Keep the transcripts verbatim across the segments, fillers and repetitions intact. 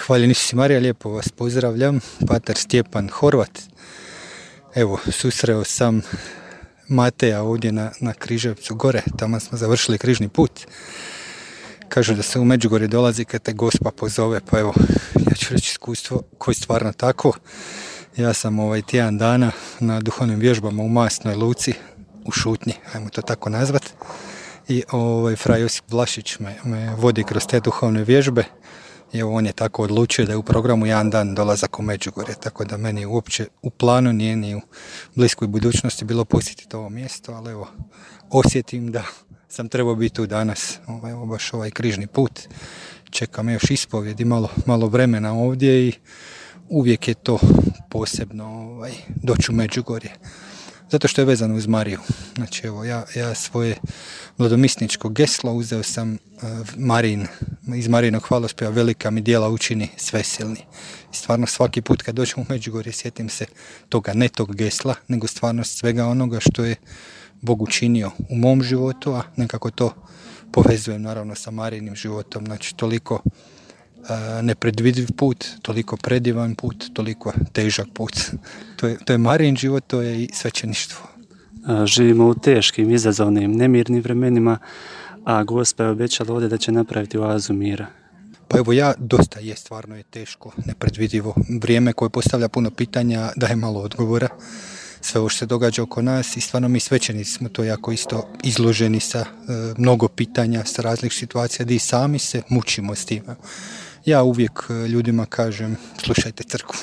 Hvaljen Isus Marija, lijepo vas pozdravljam, pater Stjepan Horvat. Evo, susreo sam Mateja ovdje na, na Križevcu gore, tamo smo završili križni put. Kažu da se u Međugorje dolazi kad te Gospa pozove, pa evo, ja ću reći iskustvo koje je stvarno tako. Ja sam ovaj tjedan dana na duhovnim vježbama u Masnoj Luci, u Šutnji, ajmo to tako nazvat. I ovaj, fra Josip Vlašić me, me vodi kroz te duhovne vježbe. I evo, on je tako odlučio da je u programu jedan dan dolazak u Međugorje, tako da meni uopće u planu nije ni u bliskoj budućnosti bilo posjetiti ovo mjesto, ali evo, osjetim da sam trebao biti tu danas, ovaj, evo baš ovaj križni put. Čekam još ispovjedi, malo, malo vremena ovdje i uvijek je to posebno ovaj, doći u Međugorje. Zato što je vezano uz Mariju. Znači, evo, ja, ja svoje mladomisničko geslo uzeo sam uh, Marin, iz Marijinog hvalospjeva velika mi djela učini svesilni. I stvarno svaki put kad dođem u Međugorje sjetim se toga, ne tog gesla, nego stvarno svega onoga što je Bog učinio u mom životu, a nekako to povezujem naravno sa Marijinim životom. Znači, toliko uh, nepredvidiv put, toliko predivan put, toliko težak put. To je, to je Marijin život, to je i svećeništvo. Živimo u teškim, izazovnim, nemirnim vremenima, a Gospa je obećala ovdje da će napraviti oazu mira. Pa evo, ja dosta je, stvarno je teško, nepredvidivo vrijeme koje postavlja puno pitanja, daje malo odgovora. Sve ovo što se događa oko nas i stvarno mi svećenici smo to jako isto izloženi sa e, mnogo pitanja, sa različitih situacija gdje i sami se mučimo s tim. Ja uvijek ljudima kažem, slušajte crkvu,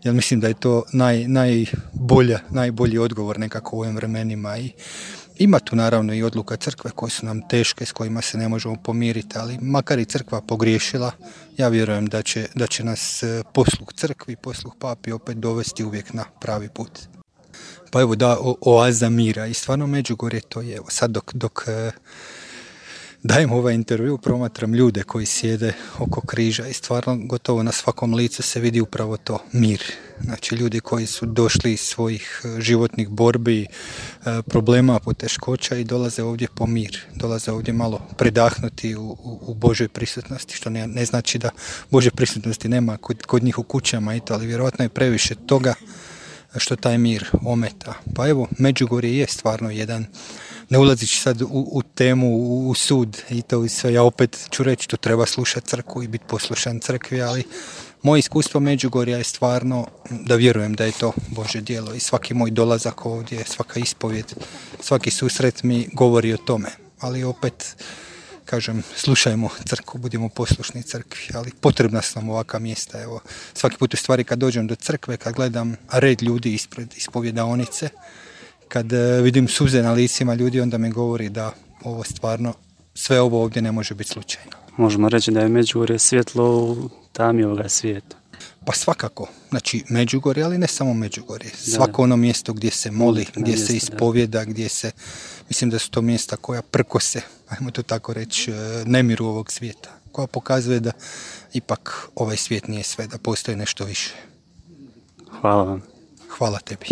jer mislim da je to naj, najbolja, najbolji odgovor nekako u ovim vremenima. I ima tu naravno i odluka crkve koje su nam teške, s kojima se ne možemo pomiriti, ali makar i crkva pogriješila, ja vjerujem da će, da će nas posluh crkvi, posluh papi opet dovesti uvijek na pravi put. Pa evo, da, o, oaza mira i stvarno Međugorje to je. Evo, sad dok, dok dajem ovaj intervju, promatram ljude koji sjede oko križa i stvarno gotovo na svakom licu se vidi upravo to, mir. Znači, ljudi koji su došli iz svojih životnih borbi, problema, poteškoća i dolaze ovdje po mir. Dolaze ovdje malo predahnuti u, u, u Božoj prisutnosti, što ne, ne znači da Božje prisutnosti nema kod, kod njih u kućama i to, ali vjerojatno je previše toga što taj mir ometa. Pa evo, Međugorje je stvarno jedan, ne ulazići sad u, u temu, u, u sud i to i sve, ja opet ću reći, tu treba slušati crkvu i biti poslušan crkvi, ali moje iskustvo Međugorja je stvarno da vjerujem da je to Božje djelo i svaki moj dolazak ovdje, svaka ispovjed, svaki susret mi govori o tome, ali opet kažem, slušajmo crkvu, budimo poslušni crkvi, ali potrebna su nam ovakva mjesta. Evo, svaki put u stvari kad dođem do crkve, kad gledam red ljudi ispred ispovjedaonice, kad vidim suze na licima ljudi, onda mi govori da ovo stvarno, sve ovo ovdje ne može biti slučajno. Možemo reći da je Međugorje svjetlo u tami ovoga svijeta. Pa svakako, znači Međugorje, ali ne samo Međugorje. Svako ono mjesto gdje se moli, gdje mjesto, se ispovjeda, da. Gdje se, mislim da su to mjesta koja prkose, ajmo to tako reći, nemiru ovog svijeta, koja pokazuje da ipak ovaj svijet nije sve, da postoji nešto više. Hvala vam. Hvala tebi.